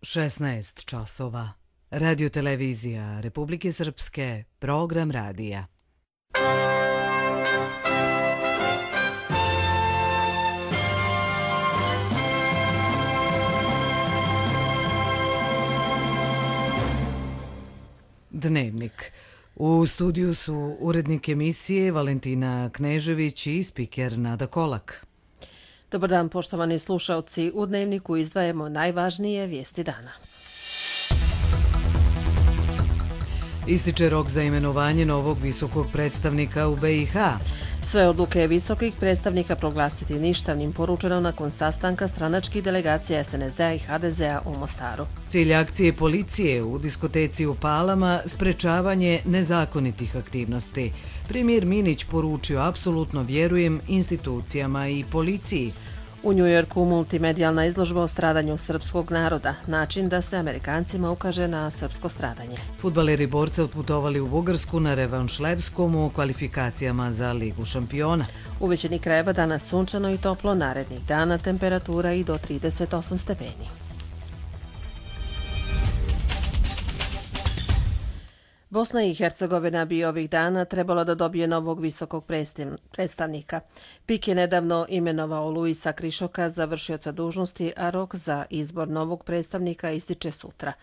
16 časova. Radio-televizija Republike Srpske, program radija. Dnevnik. U studiju su urednik emisije Valentina Knežević i spiker Nada Kolak. Dobar dan, poštovani slušalci. U Dnevniku izdvajamo najvažnije vijesti dana. Ističe rok za imenovanje novog visokog predstavnika u BiH. Sve odluke visokih predstavnika proglasiti ništavnim, poručeno nakon sastanka stranačkih delegacija SNSD-a i HDZ-a u Mostaru. Cilj akcije policije u diskoteci u Palama sprečavanje nezakonitih aktivnosti. Premijer Minić poručio: apsolutno vjerujem institucijama i policiji. U Njujorku multimedijalna izložba o stradanju srpskog naroda, način da se Amerikancima ukaže na srpsko stradanje. Fudbaleri borca otputovali u Bugarsku na revanš Levskom u kvalifikacijama za Ligu šampiona. U većini krajeva danas sunčano i toplo, narednih dana temperatura i do 38 stepeni. Bosna i Hercegovina bi ovih dana trebalo da dobije novog visokog predstavnika. PIK je nedavno imenovao Luisa Krišoka za vršioca dužnosti, a rok za izbor novog predstavnika ističe sutra.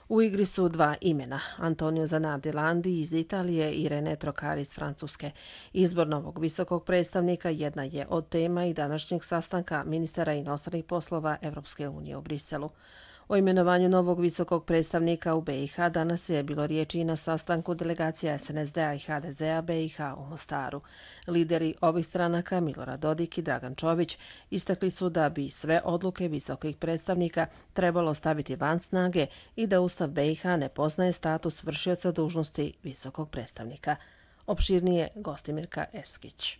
U igri su dva imena, Antonio Zanardi Landi iz Italije i René Trocari iz Francuske. Izbor novog visokog predstavnika jedna je od tema i današnjeg sastanka ministara inostranih poslova Evropske unije u Briselu. O imenovanju novog visokog predstavnika u BiH danas je bilo riječi i na sastanku delegacija SNSD-a i HDZ-a BiH u Mostaru. Lideri ovih stranaka, Milorad Dodik i Dragan Čović, istakli su da bi sve odluke visokih predstavnika trebalo staviti van snage i da Ustav BiH ne poznaje status vršioca dužnosti visokog predstavnika. Opširnije Gostimirka Eskić.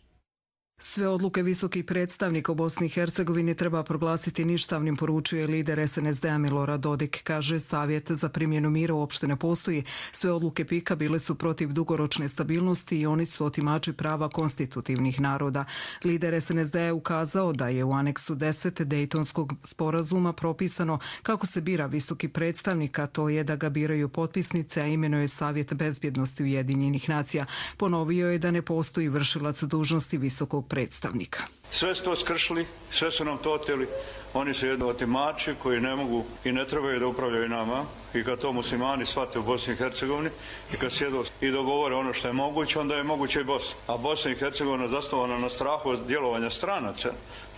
Sve odluke visokih predstavnika u Bosni i Hercegovini treba proglasiti ništavnim, poručuje lider SNSD-a Milorad Dodik. Kaže, savjet za primjenu mira uopšte ne postoji. Sve odluke PIK-a bile su protiv dugoročne stabilnosti i oni su otimači prava konstitutivnih naroda. Lider SNSD-a je ukazao da je u aneksu 10 Dejtonskog sporazuma propisano kako se bira visoki predstavnik, a to je da ga biraju potpisnice, a imenuje Savjet bezbjednosti Ujedinjenih nacija. Ponovio je da ne postoji vršilac dužnosti visokog predstavnika. Sve su to skršili, sve su nam to oteli. Oni su jedni otimači koji ne mogu i ne trebaju da upravljaju nama. I kad to muslimani shvate u Bosni i Hercegovini i kad sjedu i dogovore ono što je moguće, onda je moguće i Bosna. A Bosna i Hercegovina zasnovana na strahu od djelovanja stranaca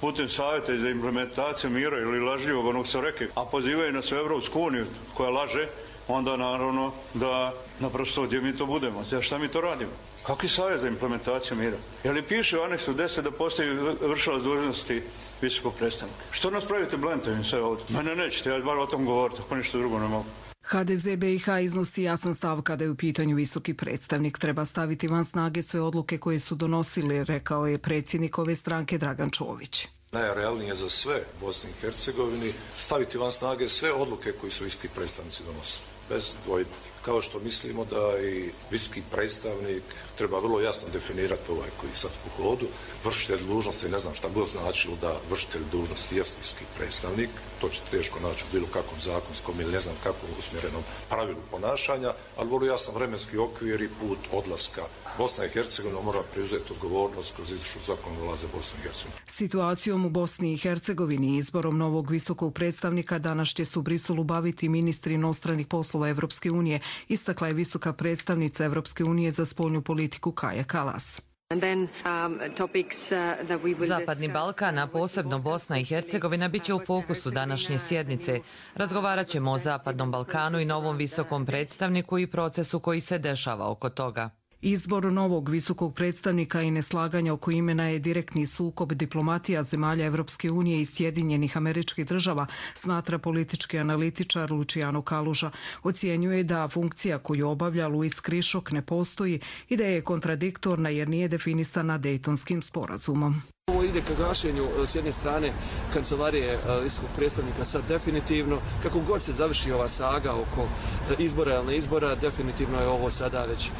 putem savjeta za implementaciju mira ili lažljivog onog su rekli, a pozivaju nas u Evropsku uniju koja laže, onda naravno da naprosto gdje mi to budemo. Šta mi to radimo? Kakvi savjet za implementaciju mira? Je li piše u aneksu 10 da postoji vršilac dužnosti visokog predstavnika? Što nas pravite blentovim sve ovdje? Mene nećete, ja bar o tom govoriti, ako ništa drugo ne mogu. HDZ BiH iznosi jasan stav kada je u pitanju visoki predstavnik. Treba staviti van snage sve odluke koje su donosili, rekao je predsjednik ove stranke Dragan Čović. Najrealnije za sve Bosni i Hercegovini staviti van snage sve odluke koje su visoki predstavnici donosili, bez dvojbe. Kao što mislimo da i visoki predstavnik treba vrlo jasno definirati ovaj koji sad u hodu. Vršitelj dužnosti, ne znam šta god značilo da vršitelj dužnosti je visoki predstavnik, to će teško naći u bilo kakvom zakonskom ili ne znam kakvom usmjerenom pravilu ponašanja, ali vrlo jasan vremenski okvir i put odlaska. Bosna i Hercegovina mora preuzeti odgovornost kroz izvršnu zakonodavstvo za Bosnu i Hercegovinu. Situacijom u Bosni i Hercegovini i izborom novog visokog predstavnika danas će se u Briselu baviti ministri inostranih poslova Evropske unije, istakla je visoka predstavnica Evropske unije za spoljnu politiku Kaja Kalas. Zapadni Balkan, a posebno Bosna i Hercegovina, bit će u fokusu današnje sjednice. Razgovarat ćemo o Zapadnom Balkanu i novom visokom predstavniku i procesu koji se dešava oko toga. Izbor novog visokog predstavnika i neslaganja oko imena je direktni sukob diplomatija zemalja Evropske unije i Sjedinjenih Američkih Država, smatra politički analitičar Luciano Kaluža. Ocjenjuje da funkcija koju obavlja Luis Krišok ne postoji i da je kontradiktorna jer nije definisana Dejtonskim sporazumom. Ovo ide ka gašenju s jedne strane kancelarije visokog predstavnika sad definitivno. Kako god se završi ova saga oko izbora ili ne izbora, definitivno je ovo sada već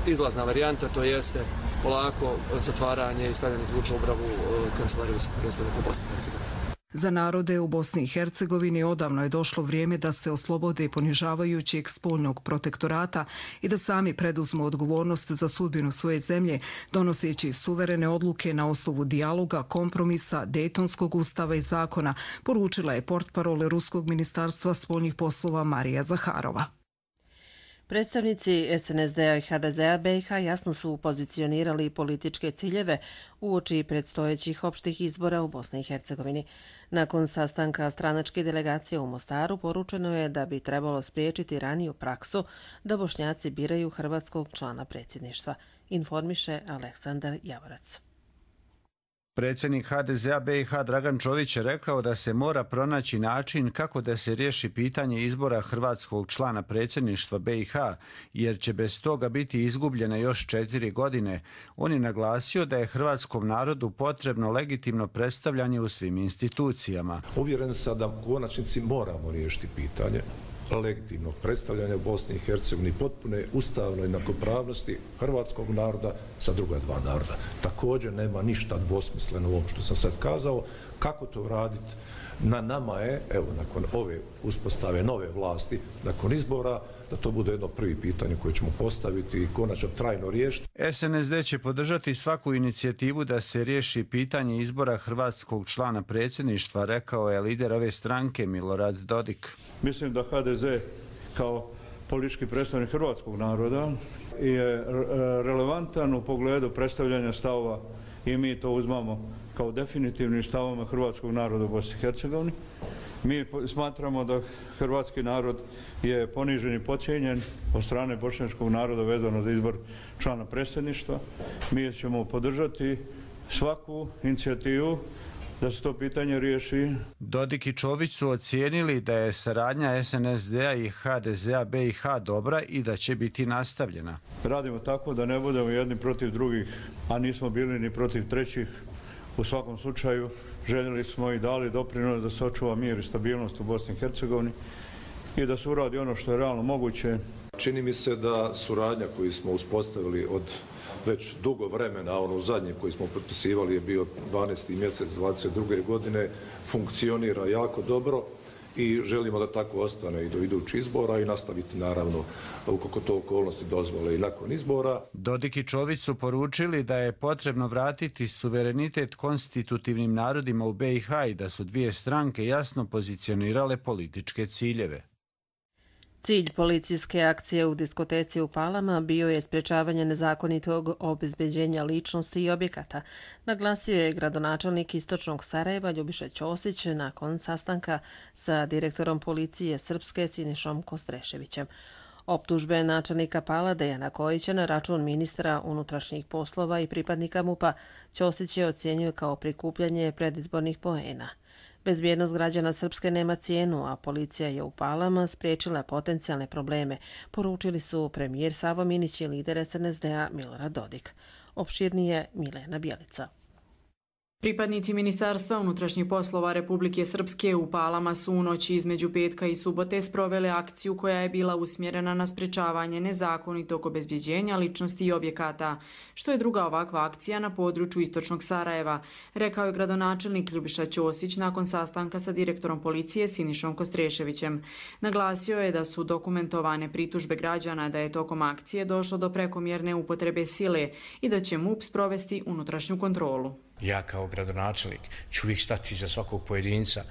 izlazna varijanta, to jeste polako zatvaranje i stavljanje ključa u bravu kancelarije visokog predstavnika Bosne i Hercegovine. Za narode u Bosni i Hercegovini odavno je došlo vrijeme da se oslobode ponižavajućeg spoljnog protektorata i da sami preduzmu odgovornost za sudbinu svoje zemlje, donoseći suverene odluke na osnovu dijaloga, kompromisa, Dejtonskog ustava i zakona, poručila je portparol Ruskog ministarstva spoljnih poslova Marija Zaharova. Predstavnici SNSD-a i HDZ-a BiH jasno su pozicionirali političke ciljeve uoči predstojećih opštih izbora u Bosni i Hercegovini. Nakon sastanka stranačke delegacije u Mostaru poručeno je da bi trebalo spriječiti raniju praksu da Bošnjaci biraju hrvatskog člana predsjedništva, informiše Aleksandar Javorac. Predsjednik HDZ-a BiH Dragan Čović je rekao da se mora pronaći način kako da se riješi pitanje izbora hrvatskog člana predsjedništva BiH, jer će bez toga biti izgubljene još 4 godine. On je naglasio da je hrvatskom narodu potrebno legitimno predstavljanje u svim institucijama. Uvjeren sam da u konačnici moramo riješiti pitanje legitimnog predstavljanja u Bosni i Hercegovini, potpune ustavnoj jednakopravnosti hrvatskog naroda sa druga dva naroda. Također nema ništa dvosmisleno u ovom što sam sad kazao. Kako to raditi? Na nama je, evo, nakon ove uspostave nove vlasti, nakon izbora, da to bude jedno prvi pitanje koje ćemo postaviti i konačno trajno riješiti. SNSD će podržati svaku inicijativu da se riješi pitanje izbora hrvatskog člana predsjedništva, rekao je lider ove stranke Milorad Dodik. Mislim da HDZ kao politički predstavnik hrvatskog naroda je relevantan u pogledu predstavljanja stavova i mi to uzmamo kao definitivnim stavama hrvatskog naroda u Bosni i Hercegovini. Mi smatramo da hrvatski narod je ponižen i podcijenjen od strane bošnjačkog naroda vezano za izbor člana predsjedništva. Mi ćemo podržati svaku inicijativu da se to pitanje riješi. Dodik i Čović su ocijenili da je saradnja SNSD-a i HDZ-a BiH dobra i da će biti nastavljena. Radimo tako da ne budemo jedni protiv drugih, a nismo bili ni protiv trećih. U svakom slučaju željeli smo i dali doprinos da se očuva mir i stabilnost u Bosni i Hercegovini i da se uradi ono što je realno moguće. Čini mi se da suradnja koju smo uspostavili od već dugo vremena, ono zadnje koji smo potpisivali je bio 12. mjesec 22. godine, funkcionira jako dobro i želimo da tako ostane i do idućih izbora i nastaviti naravno ukoliko to okolnosti dozvole i nakon izbora. Dodik i Čović su poručili da je potrebno vratiti suverenitet konstitutivnim narodima u BiH i da su dvije stranke jasno pozicionirale političke ciljeve. Cilj policijske akcije u diskoteci u Palama bio je sprječavanje nezakonitog obezbeđenja ličnosti i objekata, naglasio je gradonačelnik Istočnog Sarajeva Ljubiša Ćosić nakon sastanka sa direktorom policije Srpske Sinišom Kostreševićem. Optužbe načelnika Pala Dejana Kojića na račun ministra unutrašnjih poslova i pripadnika MUP-a Ćosić je ocjenjuje kao prikupljanje predizbornih poena. Bezbjednost građana Srpske nema cijenu, a policija je u Palama spriječila potencijalne probleme, poručili su premijer Savo Minić i lider SNSD-a Milorad Dodik. Opširnije Milena Bjelica. Pripadnici Ministarstva unutrašnjih poslova Republike Srpske u Palama su u noći između petka i subote sprovele akciju koja je bila usmjerena na sprečavanje nezakonitog obezbjeđenja ličnosti i objekata, što je druga ovakva akcija na području Istočnog Sarajeva, rekao je gradonačelnik Ljubiša Ćosić nakon sastanka sa direktorom policije Sinišom Kostreševićem. Naglasio je da su dokumentovane pritužbe građana da je tokom akcije došlo do prekomjerne upotrebe sile i da će MUP sprovesti unutrašnju kontrolu. Ja kao gradonačelnik ću uvijek stati za svakog pojedinca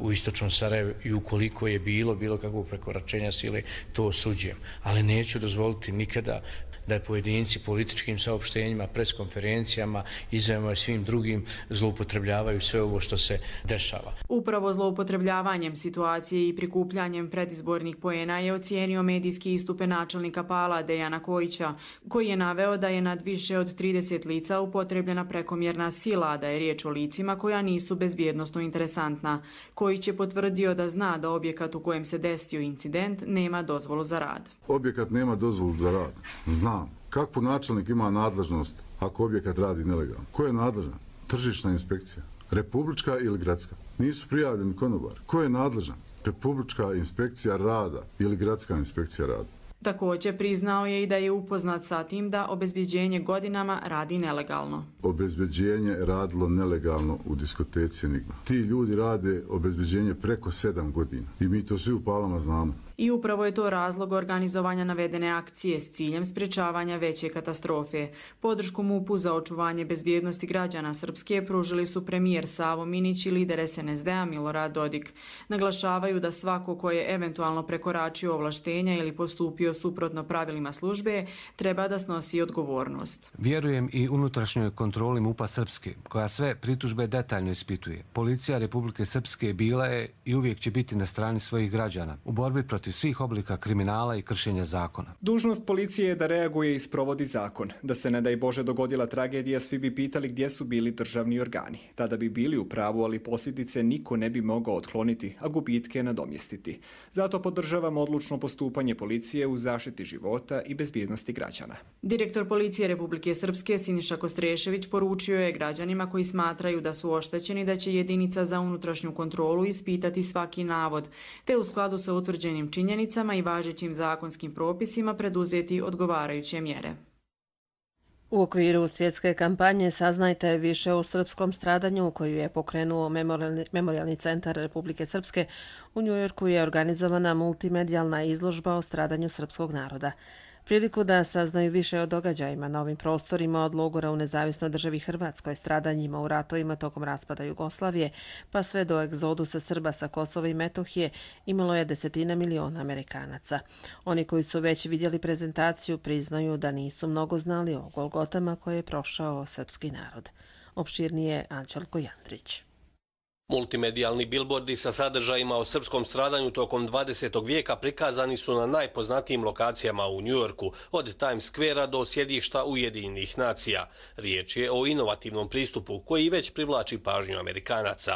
u Istočnom Sarajevu i ukoliko je bilo kakvog prekoračenja sile, to osuđujem. Ali neću dozvoliti nikada da je pojedinci političkim saopštenjima, preskonferencijama, izjavama i svim drugim zloupotrebljavaju sve ovo što se dešava. Upravo zloupotrebljavanjem situacije i prikupljanjem predizbornih poena je ocijenio medijski istupe načelnika Pala Dejana Kojića, koji je naveo da je nad više od 30 lica upotrebljena prekomjerna sila, da je riječ o licima koja nisu bezbjednosno interesantna. Kojić je potvrdio da zna da objekat u kojem se desio incident nema dozvolu za rad. Objekat nema dozvolu za rad. Znam. Kakvu načelnik ima nadležnost ako objekat radi nelegalno? Ko je nadležan? Tržišna inspekcija. Republička ili gradska? Nisu prijavljeni konobari. Ko je nadležan? Republička inspekcija rada ili gradska inspekcija rada. Također priznao je i da je upoznat sa tim da obezbjeđenje godinama radi nelegalno. Obezbjeđenje je radilo nelegalno u diskoteci Enigma. Ti ljudi rade obezbjeđenje preko 7 godina i mi to svi u Palama znamo. I upravo je to razlog organizovanja navedene akcije s ciljem sprečavanja veće katastrofe. Podršku MUP-u za očuvanje bezbjednosti građana Srpske pružili su premijer Savo Minić i lider SNSD-a Milorad Dodik. Naglašavaju da svako ko je eventualno prekoračio ovlaštenja ili postupio suprotno pravilima službe treba da snosi odgovornost. Vjerujem i unutrašnjoj kontroli MUP-a Srpske, koja sve pritužbe detaljno ispituje. Policija Republike Srpske bila je i uvijek će biti na strani svojih građana u borbi protiv svih oblika kriminala i kršenja zakona. Dužnost policije je da reaguje i sprovodi zakon. Da se ne daj Bože dogodila tragedija, svi bi pitali gdje su bili državni organi. Tada bi bili u pravu, ali posljedice niko ne bi mogao otkloniti, a gubitke nadomjestiti. Zato podržavam odlučno postupanje policije u zaštiti života i bezbjednosti građana. Direktor policije Republike Srpske Siniša Kostrešević poručio je građanima koji smatraju da su oštećeni da će jedinica za unutrašnju kontrolu ispitati svaki navod, te u skladu sa utvrđenim činjenicama i važećim zakonskim propisima preduzeti odgovarajuće mjere. U okviru svjetske kampanje Saznajte više o srpskom stradanju koju je pokrenuo Memorijalni centar Republike Srpske, u Njujorku je organizovana multimedijalna izložba o stradanju srpskog naroda. Priliku da saznaju više o događajima na ovim prostorima od logora u nezavisnoj državi Hrvatskoj, stradanjima u ratovima tokom raspada Jugoslavije, pa sve do egzodusa Srba sa Kosova i Metohije, imalo je 10 miliona Amerikanaca. Oni koji su već vidjeli prezentaciju priznaju da nisu mnogo znali o golgotama koje je prošao srpski narod. Opširnije Anđelko Jandrić. Multimedijalni bilbordi sa sadržajima o srpskom stradanju tokom 20. vijeka prikazani su na najpoznatijim lokacijama u Njujorku, od Times Squarea do sjedišta Ujedinjenih nacija. Riječ je o inovativnom pristupu koji već privlači pažnju Amerikanaca.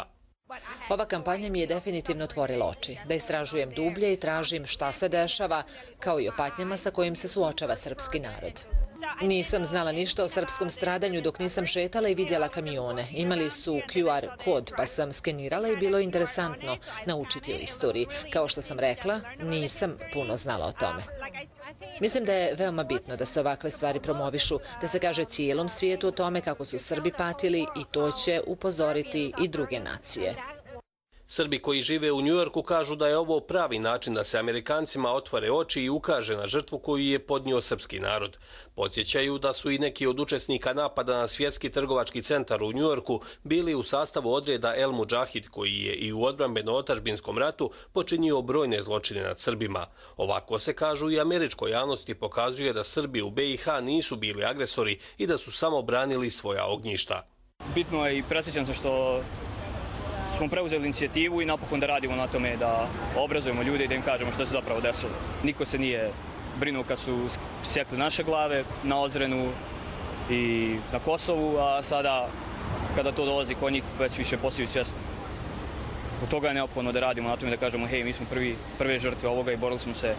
Ova kampanja mi je definitivno otvorila oči, da istražujem dublje i tražim šta se dešava, kao i o patnjama sa kojim se suočava srpski narod. Nisam znala ništa o srpskom stradanju dok nisam šetala i vidjela kamione. Imali su QR kod, pa sam skenirala i bilo je interesantno naučiti o istoriji. Kao što sam rekla, nisam puno znala o tome. Mislim da je veoma bitno da se ovakve stvari promovišu, da se kaže cijelom svijetu o tome kako su Srbi patili i to će upozoriti i druge nacije. Srbi koji žive u Njujorku kažu da je ovo pravi način da se Amerikancima otvore oči i ukaže na žrtvu koju je podnio srpski narod. Podsjećaju da su i neki od učesnika napada na svjetski trgovački centar u Njujorku bili u sastavu odreda El Mudžahid, koji je i u odbrambeno-otadžbinskom ratu počinio brojne zločine nad Srbima. Ovako se, kažu, i američkoj javnosti pokazuje da Srbi u BiH nisu bili agresori i da su samo branili svoja ognjišta. Bitno je i presjećam se što smo preuzeli inicijativu i napokon da radimo na tome da obrazujemo ljude i da im kažemo što se zapravo desilo. Niko se nije brinuo kad su sjekli naše glave na Ozrenu i na Kosovu, a sada kada to dolazi kod njih već više postaju svjesni. Od toga je neophodno da radimo na tome da kažemo hej, mi smo prve žrtve ovoga i borili smo se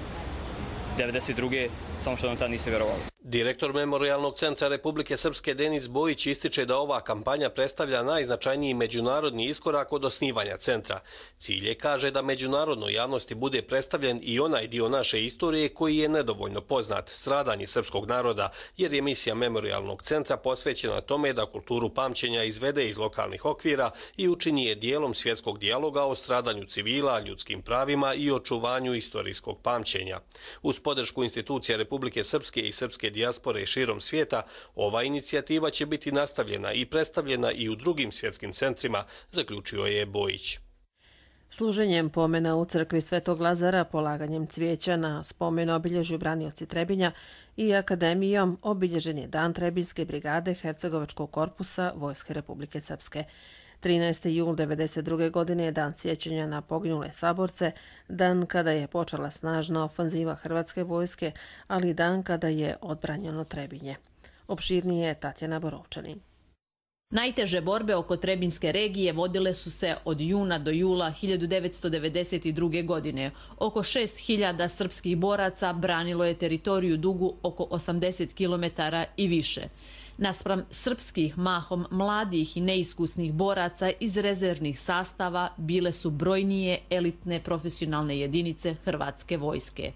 92. samo što nam tad niste vjerovali. Direktor Memorijalnog centra Republike Srpske Denis Bojić ističe da ova kampanja predstavlja najznačajniji međunarodni iskorak od osnivanja centra. Cilj je, kaže, da međunarodnoj javnosti bude predstavljen i onaj dio naše istorije koji je nedovoljno poznat, stradanje srpskog naroda, jer je misija Memorijalnog centra posvećena tome da kulturu pamćenja izvede iz lokalnih okvira i učini je dijelom svjetskog dijaloga o stradanju civila, ljudskim pravima i očuvanju istorijskog pamćenja. Uz podršku institucija Republike Srpske i srpske dijaspore širom svijeta, ova inicijativa će biti nastavljena i predstavljena i u drugim svjetskim centrima, zaključio je Bojić. Služenjem pomena u crkvi Svetog Lazara, polaganjem cvijeća na spomen obilježju branioci Trebinja i akademijom obilježen je Dan Trebinjske brigade Hercegovačkog korpusa Vojske Republike Srpske. 13. jul 1992. godine je dan sjećanja na poginule saborce, dan kada je počela snažna ofanziva Hrvatske vojske, ali i dan kada je odbranjeno Trebinje. Opširnije je Tatjana Borovčanin. Najteže borbe oko Trebinjske regije vodile su se od juna do jula 1992. godine. Oko 6.000 srpskih boraca branilo je teritoriju dugu oko 80 km i više. Naspram srpskih, mahom mladih i neiskusnih boraca iz rezervnih sastava bile su brojnije elitne profesionalne jedinice Hrvatske vojske.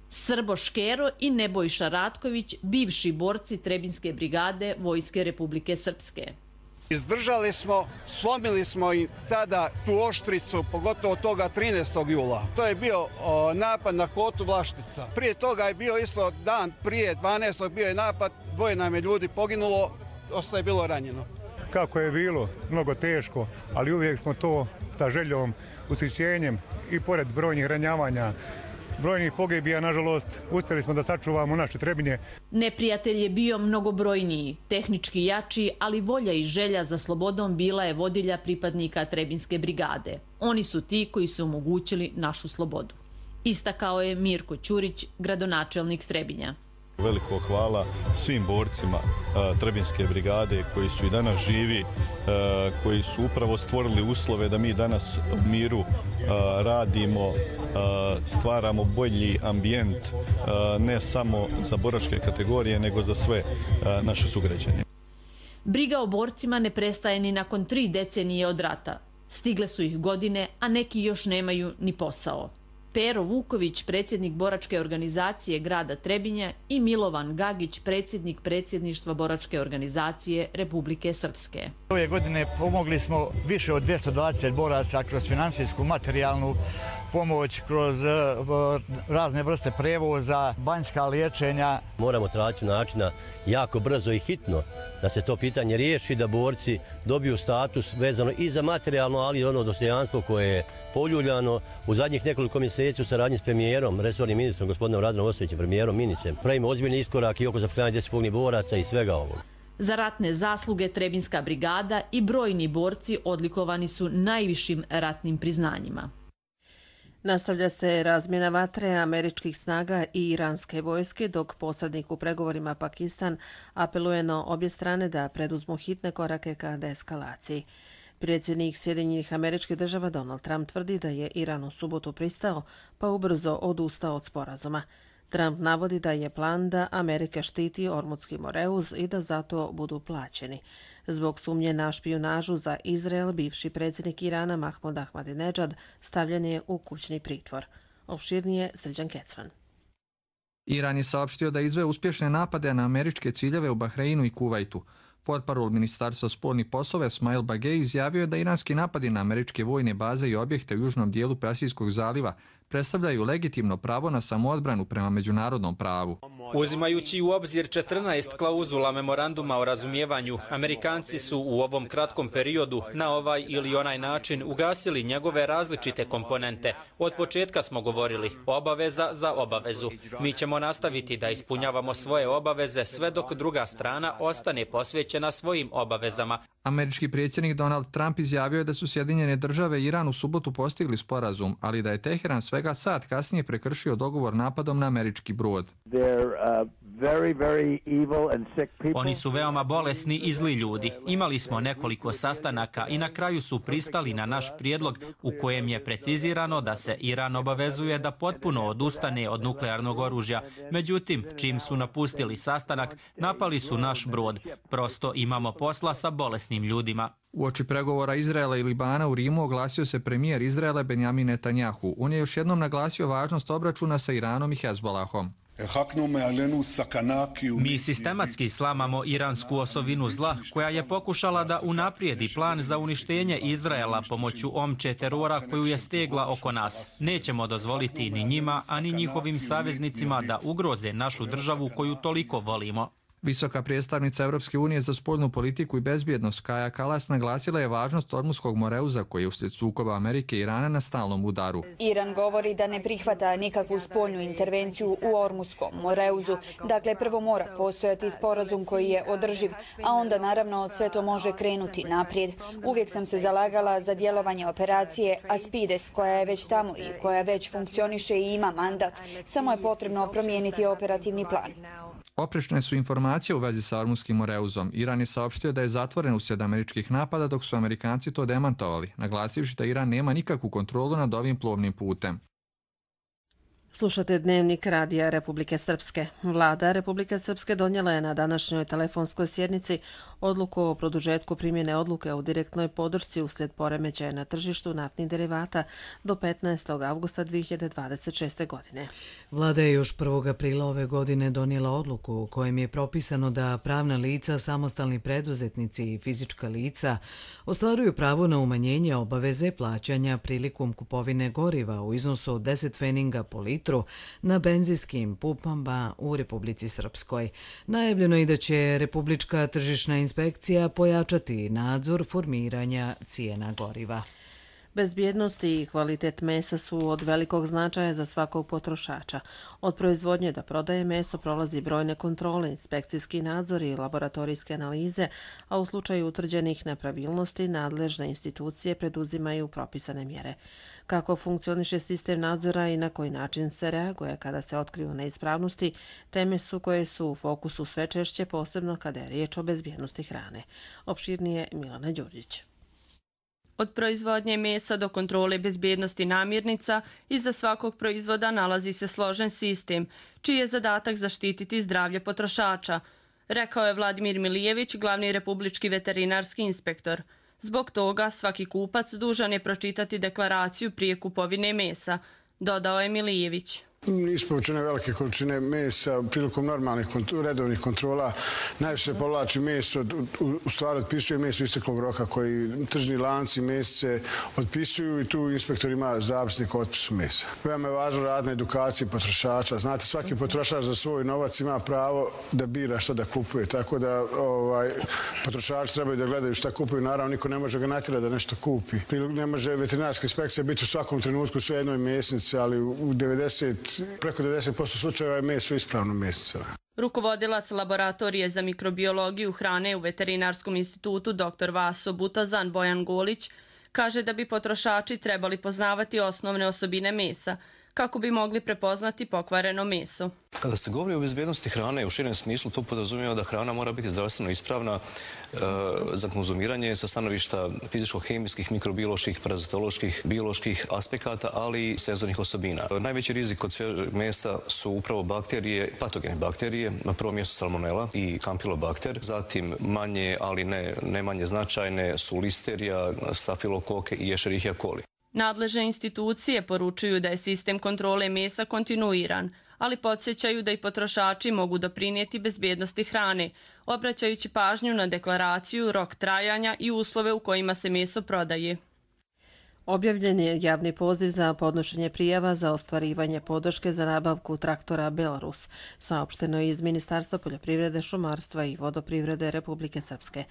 Srbo Škero i Nebojša Ratković, bivši borci Trebinske brigade Vojske Republike Srpske. Izdržali smo, slomili smo i tada tu oštricu, pogotovo toga 13. jula. To je bio napad na Kotu Vlaštica. Prije toga je bio isto dan prije 12. bio je napad, 2 nam je ljudi poginulo, ostaje bilo ranjeno. Kako je bilo, mnogo teško, ali uvijek smo to sa željom, ushićenjem i pored brojnih ranjavanja, brojnih pogibija, nažalost, uspjeli smo da sačuvamo naše Trebinje. Neprijatelj je bio mnogobrojniji, tehnički jači, ali volja i želja za slobodom bila je vodilja pripadnika Trebinske brigade. Oni su ti koji su omogućili našu slobodu. Istakao je Mirko Ćurić, gradonačelnik Trebinja. Veliko hvala svim borcima Trebinske brigade koji su i danas živi, koji su upravo stvorili uslove da mi danas u miru radimo, stvaramo bolji ambijent ne samo za boračke kategorije nego za sve naše sugrađane. Briga o borcima ne prestaje ni nakon 3 decenije od rata. Stigle su ih godine, a neki još nemaju ni posao. Pero Vuković, predsjednik boračke organizacije grada Trebinja i Milovan Gagić, predsjednik predsjedništva boračke organizacije Republike Srpske. Ove godine pomogli smo više od 220 boraca kroz finansijsku, materijalnu pomoć, kroz razne vrste prevoza, banjska liječenja. Moramo tražiti načina jako brzo i hitno da se to pitanje riješi, da borci dobiju status vezano i za materijalno, ali i ono dostojanstvo koje je poljuljano. U zadnjih nekoliko mjeseci u saradnji s premijerom, resornim ministrom, gospodinom Radinom Ostojićem, premijerom Minicem, pravimo ozbiljni iskorak i oko zapošljavanja 10 pogibelih boraca i svega ovog. Za ratne zasluge Trebinska brigada i brojni borci odlikovani su najvišim ratnim priznanjima. Nastavlja se razmjena vatre američkih snaga i iranske vojske, dok posrednik u pregovorima Pakistan apeluje na obje strane da preduzmu hitne korake ka deeskalaciji. Predsjednik Sjedinjenih Američkih Država Donald Trump tvrdi da je Iran u subotu pristao, pa ubrzo odustao od sporazuma. Trump navodi da je plan da Amerika štiti Ormutski Moreuz i da zato budu plaćeni. Zbog sumnje na špijunažu za Izrael, bivši predsjednik Irana Mahmud Ahmadinejad stavljen je u kućni pritvor. Opširnije Srđan Kecman. Iran je saopštio da izveo uspješne napade na američke ciljeve u Bahreinu i Kuvajtu. Portparol Ministarstva spoljnih poslova Esmail Bagej izjavio je da iranski napadi na američke vojne baze i objekte u južnom dijelu Persijskog zaliva predstavljaju legitimno pravo na samoodbranu prema međunarodnom pravu. Uzimajući u obzir 14 klauzula memoranduma o razumijevanju, Amerikanci su u ovom kratkom periodu na ovaj ili onaj način ugasili njegove različite komponente. Od početka smo govorili obaveza za obavezu. Mi ćemo nastaviti da ispunjavamo svoje obaveze sve dok druga strana ostane posvećena svojim obavezama. Američki predsjednik Donald Trump izjavio je da su Sjedinjene Države i Iran u subotu postigli sporazum, ali da je Teheran svega sat kasnije prekršio dogovor napadom na američki brod. Oni su veoma bolesni i zli ljudi. Imali smo nekoliko sastanaka i na kraju su pristali na naš prijedlog u kojem je precizirano da se Iran obavezuje da potpuno odustane od nuklearnog oružja. Međutim, čim su napustili sastanak, napali su naš brod. Prosto imamo posla sa bolesnim ljudima. Uoči pregovora Izraela i Libana u Rimu oglasio se premijer Izraela Benjamin Netanjahu. On je još jednom naglasio važnost obračuna sa Iranom i Hezbolahom. Mi sistematski slamamo iransku osovinu zla koja je pokušala da unaprijedi plan za uništenje Izraela pomoću omče terora koju je stegla oko nas. Nećemo dozvoliti ni njima, ani njihovim saveznicima da ugroze našu državu koju toliko volimo. Visoka predstavnica Europske unije za spoljnu politiku i bezbjednost Kaja Kallas naglasila je važnost Ormutskog Moreuza koji je uslijed sukoba Amerike i Irana na stalnom udaru. Iran govori da ne prihvata nikakvu spoljnu intervenciju u Ormutskom Moreuzu. Dakle, prvo mora postojati sporazum koji je održiv, a onda naravno sve to može krenuti naprijed. Uvijek sam se zalagala za djelovanje operacije Aspides koja je već tamo i koja već funkcioniše i ima mandat. Samo je potrebno promijeniti operativni plan. Oprečne su informacije u vezi sa Ormutskim Moreuzom. Iran je saopštio da je zatvoren uslijed američkih napada, dok su Amerikanci to demantovali, naglasivši da Iran nema nikakvu kontrolu nad ovim plovnim putem. Slušate dnevnik Radija Republike Srpske. Vlada Republike Srpske donijela je na današnjoj telefonskoj sjednici odluku o produžetku primjene odluke o direktnoj podršci uslijed poremećaja na tržištu naftnih derivata do 15. avgusta 2026. godine. Vlada je još 1. aprila ove godine donijela odluku u kojem je propisano da pravna lica, samostalni preduzetnici i fizička lica ostvaruju pravo na umanjenje obaveze plaćanja prilikom kupovine goriva u iznosu od 10 pfeninga po litru na benzinskim pumpama u Republici Srpskoj. Najavljeno je da će Republička tržišna inspekcija pojačati nadzor formiranja cijena goriva. Bezbjednost i kvalitet mesa su od velikog značaja za svakog potrošača. Od proizvodnje do prodaje meso prolazi brojne kontrole, inspekcijski nadzor i laboratorijske analize, a u slučaju utvrđenih nepravilnosti nadležne institucije preduzimaju propisane mjere. Kako funkcioniše sistem nadzora i na koji način se reaguje kada se otkriju neispravnosti, teme su koje su u fokusu sve češće, posebno kada je riječ o bezbjednosti hrane. Opširnije Milana Đurđić. Od proizvodnje mesa do kontrole bezbjednosti namirnica, iza svakog proizvoda nalazi se složen sistem, čiji je zadatak zaštititi zdravlje potrošača, rekao je Vladimir Milijević, glavni republički veterinarski inspektor. Zbog toga svaki kupac dužan je pročitati deklaraciju prije kupovine mesa, dodao je Milijević. Isporučene velike količine mesa prilikom normalnih redovnih kontrola. Najviše se povlači meso, u stvari otpisuje meso isteklog roka koji tržni lanci mesece otpisuju i tu inspektor ima zapisnik o otpisu mesa. Veoma je važno rad na edukaciji potrošača. Znate, svaki potrošač za svoj novac ima pravo da bira šta da kupuje. Tako da potrošači trebaju da gledaju šta kupuju. Naravno, niko ne može ga natjerati da nešto kupi. Ne može veterinarska inspekcija biti u svakom trenutku u sve jednoj mesnici, ali preko 90% slučajeva je meso ispravno meso. Rukovodilac laboratorije za mikrobiologiju hrane u Veterinarskom institutu dr. Vaso Butazan Bojan Golić kaže da bi potrošači trebali poznavati osnovne osobine mesa kako bi mogli prepoznati pokvareno meso. Kada se govori o bezbjednosti hrane u širem smislu, to podrazumijeva da hrana mora biti zdravstveno ispravna za konzumiranje sa stanovišta fizičko-hemijskih, mikrobioloških, parazitoloških, bioloških aspekata, ali i senzornih osobina. Najveći rizik kod svježeg mesa su upravo bakterije, patogene bakterije, na prvom mjestu salmonela i kampilobakter, zatim manje, ali ne manje značajne su listerija, stafilokoke i escherichia coli. Nadležne institucije poručuju da je sistem kontrole mesa kontinuiran, ali podsjećaju da i potrošači mogu doprinijeti bezbjednosti hrane, obraćajući pažnju na deklaraciju, rok trajanja i uslove u kojima se meso prodaje. Objavljen je javni poziv za podnošenje prijava za ostvarivanje podrške za nabavku traktora Belarus, saopšteno je iz Ministarstva poljoprivrede, šumarstva i vodoprivrede Republike Srpske.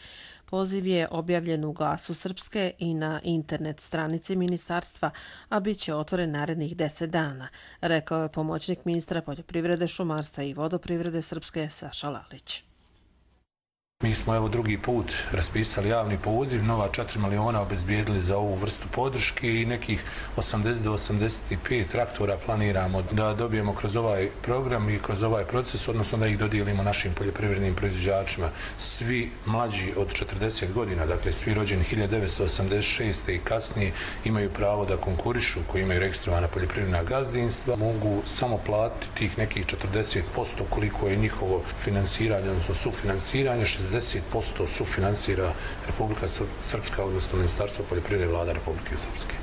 Poziv je objavljen u Glasu Srpske i na internet stranici ministarstva, a bit će otvoren narednih 10 dana, rekao je pomoćnik ministra poljoprivrede, šumarstva i vodoprivrede Srpske Saša Lalić. Mi smo evo drugi put raspisali javni poziv, nova 4 miliona obezbijedili za ovu vrstu podrške i nekih 80 do 85 traktora planiramo da dobijemo kroz ovaj program i kroz ovaj proces, odnosno da ih dodijelimo našim poljoprivrednim proizvođačima. Svi mlađi od 40 godina, dakle svi rođeni 1986. i kasnije, imaju pravo da konkurišu, koji imaju registrovana poljoprivredna gazdinstva, mogu samo platiti tih nekih 40% koliko je njihovo finansiranje, odnosno sufinansiranje, 60% sufinansira Republika Srpska, odnosno Ministarstvo poljoprivrede Vlada Republike Srpske.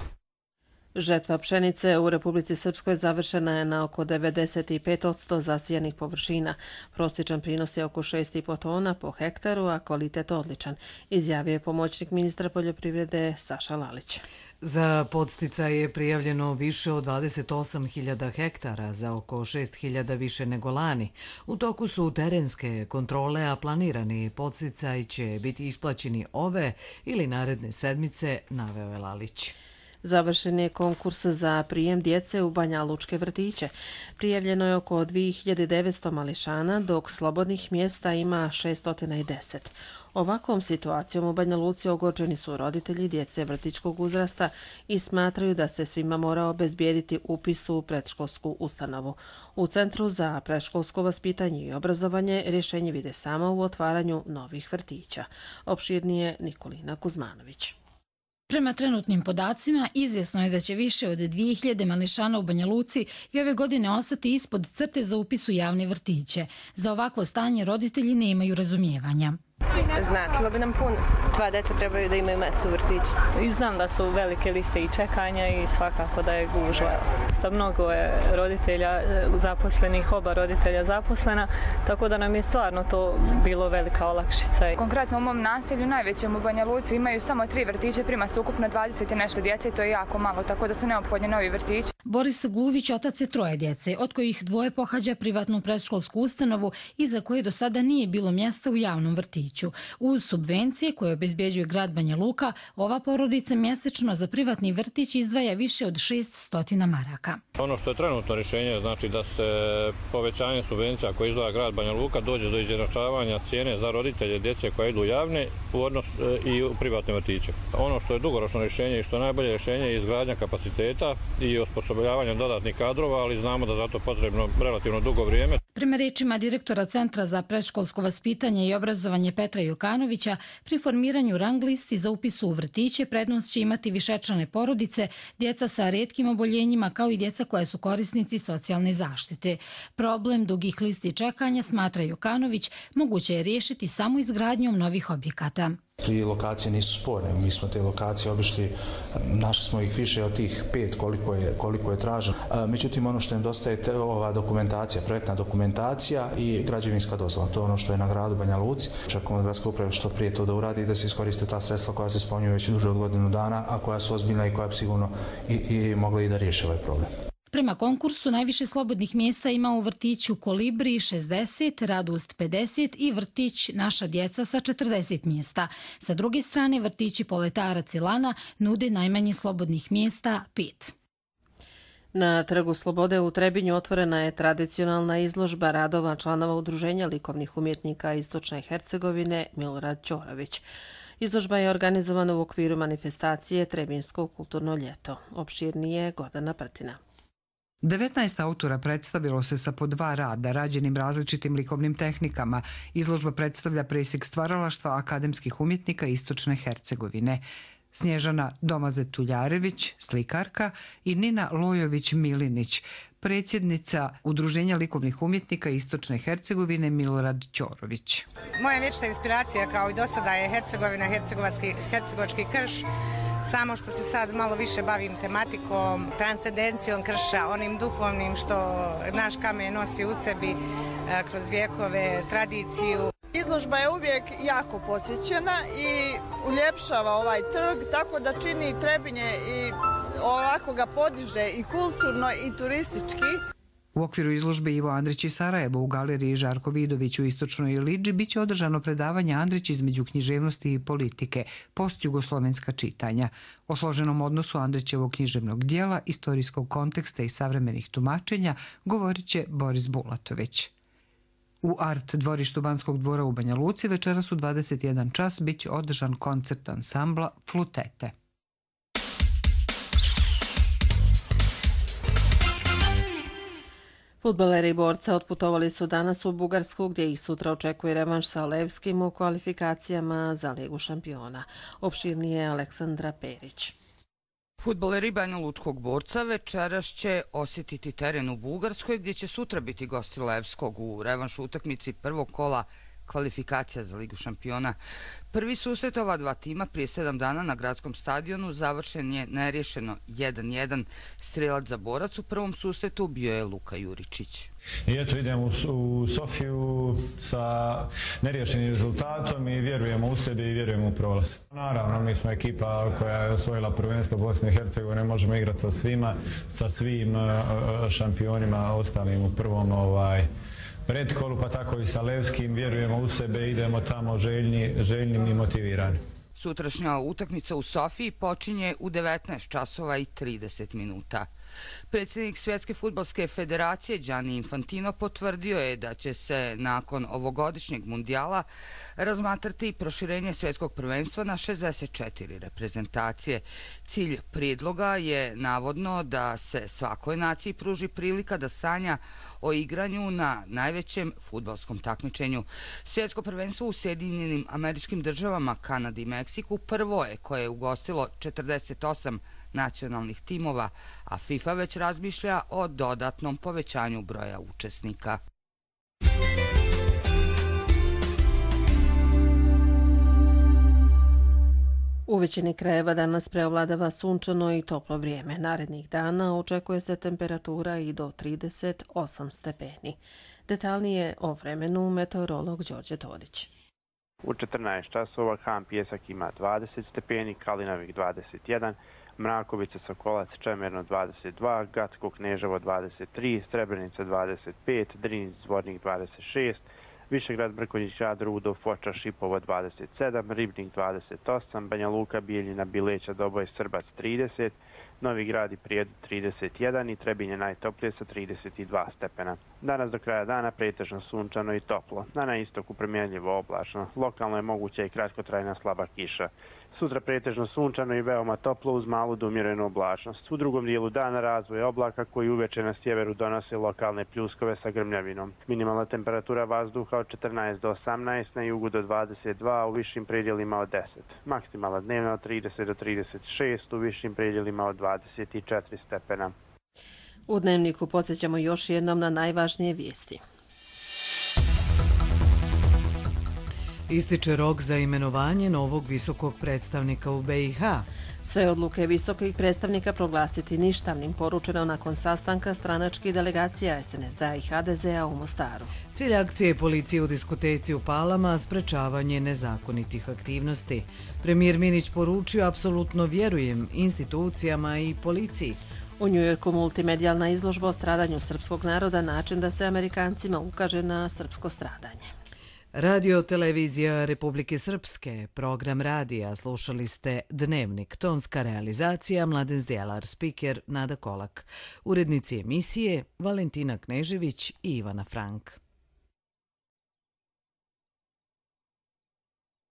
Žetva pšenice u Republici Srpskoj završena je na oko 95% zasijanih površina. Prosječan prinos je oko 6,5 tona po hektaru, a kvalitet odličan, izjavio je pomoćnik ministra poljoprivrede Saša Lalić. Za podsticaj je prijavljeno više od 28.000 hektara, za oko 6.000 više nego lani. U toku su terenske kontrole, a planirani podsticaj će biti isplaćeni ove ili naredne sedmice, naveo je Lalić. Završen je konkurs za prijem djece u Banja Lučke vrtiće. Prijavljeno je oko 2900 mališana, dok slobodnih mjesta ima 610. Ovakvom situacijom u Banja Luci ogorčeni su roditelji djece vrtićkog uzrasta i smatraju da se svima mora obezbijediti upis u predškolsku ustanovu. U Centru za predškolsko vaspitanje i obrazovanje rješenje vide samo u otvaranju novih vrtića. Opširnije Nikolina Kuzmanović. Prema trenutnim podacima, izvjesno je da će više od 2000 mališana u Banja Luci i ove godine ostati ispod crte za upis u javne vrtiće. Za ovakvo stanje roditelji nemaju razumijevanja. Značilo bi nam puno. 2 djeca trebaju da imaju mjesto u vrtiću. I znam da su velike liste i čekanja i svakako da je gužva. Mnogo je roditelja zaposlenih, oba roditelja zaposlena, tako da nam je stvarno to bilo velika olakšica. Konkretno u mom naselju, najvećem u Banja Luci, imaju samo 3 vrtiće, prima se ukupno 20 i nešto djece i to je jako malo, tako da su neophodni novi vrtići. Boris Gluvić otac je 3 djece, od kojih 2 pohađa privatnu predškolsku ustanovu i za koje do sada nije bilo mjesta u javnom vrtiću. Uz subvencije koje obezbjeđuje grad Banja Luka, ova porodica mjesečno za privatni vrtić izdvaja više od 600 maraka. Ono što je trenutno rješenje znači da se povećanje subvencija koje izdvaja grad Banja Luka dođe do izjednačavanja cijene za roditelje djece koje idu u javne u odnos i u privatne vrtiće. Ono što je dugoročno rješenje i što je najbolje rješenje je izgradnja kapaciteta i osposobljavanje dodatnih kadrova, ali znamo da za to potrebno relativno dugo vrijeme. Prema riječima direktora Centra za predškolsko vaspitanje i obrazovanje Petra Jokanovića, pri formiranju rang listi za upis u vrtiće prednost će imati višečlane porodice, djeca sa retkim oboljenjima kao i djeca koja su korisnici socijalne zaštite. Problem dugih listi čekanja, smatra Jokanović, moguće je riješiti samo izgradnjom novih objekata. Tri lokacije nisu sporne, mi smo te lokacije obišli, našli smo ih više od tih 5 koliko je traženo. Međutim, ono što nedostaje je ova dokumentacija, projektna dokumentacija i građevinska dozvola. To je ono što je na gradu Banja Luci. Čekamo od gradske uprave što prije to da uradi i da se iskoriste ta sredstva koja se spominju već duže od godinu dana, a koja su ozbiljna i koja bi sigurno i mogla i da riješe ovaj problem. Prema konkursu najviše slobodnih mjesta ima u vrtiću Kolibri 60, Radost 50 i vrtić Naša djeca sa 40 mjesta. Sa druge strane, vrtići Poletarac i Lana nude najmanje slobodnih mjesta 5. Na Trgu Slobode u Trebinju otvorena je tradicionalna izložba radova članova Udruženja likovnih umjetnika Istočne Hercegovine Milorad Ćorović. Izložba je organizovana u okviru manifestacije Trebinsko kulturno ljeto. Opširnije Gordana Prtina. 19 autora predstavilo se sa po 2 rada, rađenim različitim likovnim tehnikama. Izložba predstavlja presjek stvaralaštva akademskih umjetnika Istočne Hercegovine. Snježana Domazet-Tuljarević, slikarka, i Nina Lojović-Milinić, predsjednica Udruženja likovnih umjetnika Istočne Hercegovine Milorad Ćorović. Moja vječna inspiracija kao i do sada je Hercegovina, hercegovački krš, samo što se sad malo više bavim tematikom, transcendencijom krša, onim duhovnim što naš kamen nosi u sebi kroz vijekove, tradiciju. Izložba je uvijek jako posjećena i uljepšava ovaj trg, tako da čini Trebinje i ovako ga podiže i kulturno i turistički. U okviru izložbe Ivo Andrić i Sarajevo u galeriji Žarko Vidović u Istočnoj Ilidži biće održano predavanje Andrić između književnosti i politike, postjugoslovenska čitanja. O složenom odnosu Andrićevog književnog dijela, istorijskog konteksta i savremenih tumačenja govorit će Boris Bulatović. U Art dvorištu Banskog dvora u Banja Luci večeras u 21 čas biće održan koncert ansambla Flutete. Fudbaleri Borca otputovali su danas u Bugarsku, gdje ih sutra očekuje revanš sa Levskim u kvalifikacijama za Ligu šampiona. Opširnije Aleksandra Perić. Fudbaleri Banja Lučkog Borca večeras će osjetiti teren u Bugarskoj, gdje će sutra biti gosti Levskog u revanšu utakmici prvog kola kvalifikacija za Ligu šampiona. Prvi susret ova 2 tima prije 7 dana na gradskom stadionu završen je neriješeno 1-1. Strelac za Borac u prvom susretu bio je Luka Juričić. I eto idemo u Sofiju sa neriješenim rezultatom i vjerujemo u sebe i vjerujemo u prolaz. Naravno, mi smo ekipa koja je osvojila prvenstvo Bosne i Hercegovine, možemo igrati sa svima, sa svim šampionima ostalim u prvom predkolu, pa tako i sa Levskim, vjerujemo u sebe, idemo tamo željni i motivirani. Sutrašnja utakmica u Sofiji počinje u 19 časova i 30 minuta. Predsjednik Svjetske fudbalske federacije Gianni Infantino potvrdio je da će se nakon ovogodišnjeg mundijala razmatrati proširenje svjetskog prvenstva na 64 reprezentacije. Cilj prijedloga je navodno da se svakoj naciji pruži prilika da sanja o igranju na najvećem fudbalskom takmičenju. Svjetsko prvenstvo u Sjedinjenim Američkim Državama, Kanadi i Meksiku prvo je koje je ugostilo 48 nacionalnih timova, a FIFA već razmišlja o dodatnom povećanju broja učesnika. U većini krajeva danas preovladava sunčano i toplo vrijeme. Narednih dana očekuje se temperatura i do 38 stepeni. Detaljnije o vremenu meteorolog Đorđe Todić. U 14 časova Han Pjesak ima 20 stepeni, Kalinavik 21, Mrakovica, Sokolac, Čemerno 22, Gacko, Kneževo 23, Srebrenica 25, Drinić, Zvornik 26, Višegrad, Brkonjić, Grad, Rudo, Foča, Šipovo 27, Ribnik 28, Banja Luka, Bijeljina, Bileća, Doboj, Srbac 30, Novi Grad i Prijedor 31 i Trebinje najtoplije sa 32 stepena. Danas do kraja dana pretežno sunčano i toplo. Na istoku promjenljivo oblačno. Lokalno je moguća i kratkotrajna slaba kiša. Sutra pretežno sunčano i veoma toplo uz malu do umjerenu oblačnost. U drugom dijelu dana razvoj oblaka koji uveče na sjeveru donose lokalne pljuskove sa grmljavinom. Minimalna temperatura vazduha od 14 do 18, na jugu do 22, a u višim predjelima od 10. Maksimalna dnevna od 30 do 36, u višim predjelima od 24 stepena. U Dnevniku podsjećamo još jednom na najvažnije vijesti. Ističe rok za imenovanje novog visokog predstavnika u BiH. Sve odluke visokih predstavnika proglasiti ništavnim, poručeno nakon sastanka stranačkih delegacija SNSD-a i HDZ-a u Mostaru. Cilj akcije policije u diskoteci u Palama sprečavanje nezakonitih aktivnosti. Premijer Minić poručio: apsolutno vjerujem institucijama i policiji. U Njujorku multimedijalna izložba o stradanju srpskog naroda, način da se Amerikancima ukaže na srpsko stradanje. Radio televizija Republike Srpske, program radija, slušali ste Dnevnik, tonska realizacija Mladen Zdjelar, spiker Nada Kolak, urednici emisije Valentina Knežević i Ivana Frank.